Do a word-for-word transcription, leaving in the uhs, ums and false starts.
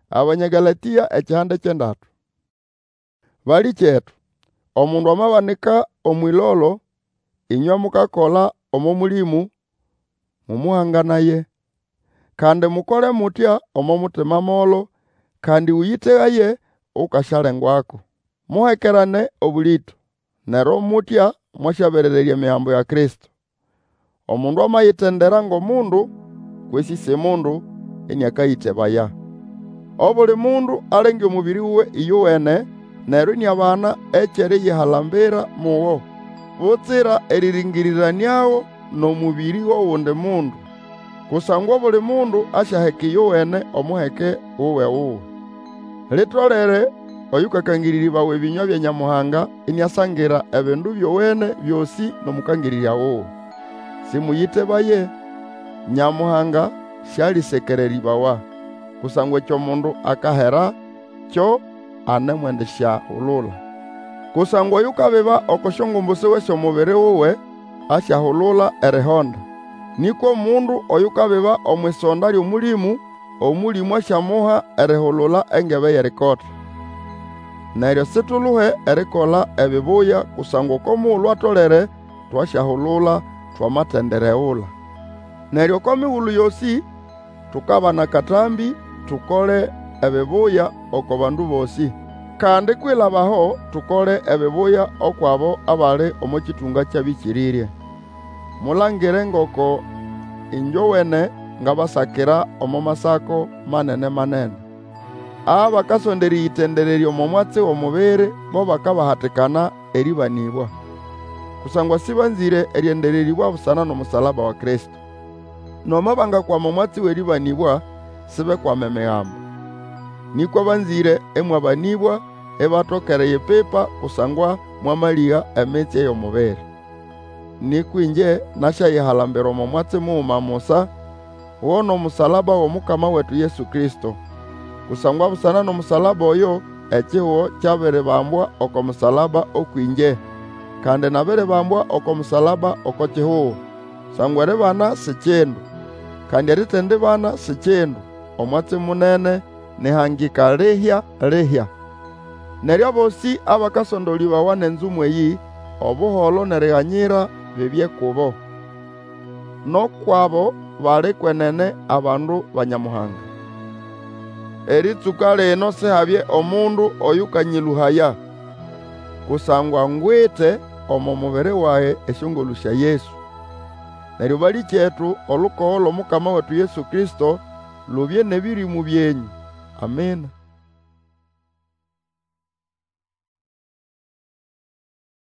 Abanya Galatĩa ekihanda ky'endatu. Balĩkyetu, omundu amabanika omw'ĩlolo, ĩnywe mukakola omo Mũlĩmũ, mũmũhanganaye. Kandi mukole mutya omo mutima molo, kandi ũyĩtegaye ukasyalengwako. Muhekerane obũlĩto, neryo mutya mwasyaberererya Emigambo ya Kristo. Omundu amayitendera ng'omundu, kwesĩ si mundu, ĩnĩakayĩtebaya. Obuli mundu alenge omũbĩrĩ wuwe ĩyowene, neryo iniabana eky'eriyihalambira mugo, butsira erĩrĩngĩrĩranĩago n'omũbĩrĩ g'ogundi mundu. Kusangwa obuli mundu asyaheka ĩyowene omuheke wuwe-wuwe. Litolere oyũkakangĩrĩrĩbawa ebĩnywa bya Nyamuhanga iniasangira ebindu byowene byosĩ n'omũkangĩrĩrya wuwe. Sĩmũyĩtebaye, Nyamuhanga sĩalĩsekererĩbawa. Kusangwa ekyo mundu akahera, kyo anemwendisyahulula. Kusangwa oyukabiba oko syongumbu siwe sy'omubiri wuwe, asyahulula erihonda. Nĩkwa omundu oyukabiba omw'isonda ly'Omũlĩmũ, Omũlĩmũ asyamuha erihulula engebe y'erikota. Neryo situluhe erikola ebibuya, kusangwa oko mugulu atolere twasyahulula, twamatendiregula. Neryo oko migulu yosĩ tukabana akatambĩ tukole ebibuya oko bandu bosĩ. Kandi kwilaba aho tukole ebibuya ukw'abo abali omo kĩtũnga ky'abĩkĩrĩrye. Mulangire ngoko ĩngyowene ngabasakira omo masako manene-manene. Abakasonda erĩyĩtendererya omo mwatsi w'omubiri bo bakabahatikana erĩbanĩbwa. Kusangwa sĩbanzĩre erĩendererĩbwa busana n'omusalaba wa Kristo. Nomo bangakwama omwatsi w'erĩbanĩbwa, sibekwama Emigambo. Nĩkwa banzĩre ĩmwabanĩbwa, ibatoka eriyipipa kusangwa mwamalĩga emitsye y'omubiri. Nĩkwa ĩngye nasyayihalambira omo mwatsi muguma musa, go n'omusalaba w'Omukama wetu Yesu Kristo. Kusangwa busana n'omusalaba oyo, ekihugo kyabiribambwa oko musalaba ũkw'ĩngye, kandi nabiribambwa oko musalaba oko kihugo. Kusangwa eribana si kindu, kandi eritendibana si kindu, omwatsi munene n'ihangika lihya-lihya. Neryo abosĩ abakasondolĩbawa n'enzumu eyĩ, obuholo n'eriganyira bibye kubo, n'ukw'abo bali kwenene abandu ba Nyamuhanga. Erĩtsũka lino Sihabye omundu oyũkanyĩlũhaya. Kusangwa ngwite omo mubiri wage esyongolũ sya Yesu. Neryo balĩkyetu, olukogo lw'Omukama wetu Yesu Kristo lubye n'ebĩrĩmũ byenyũ. Amina.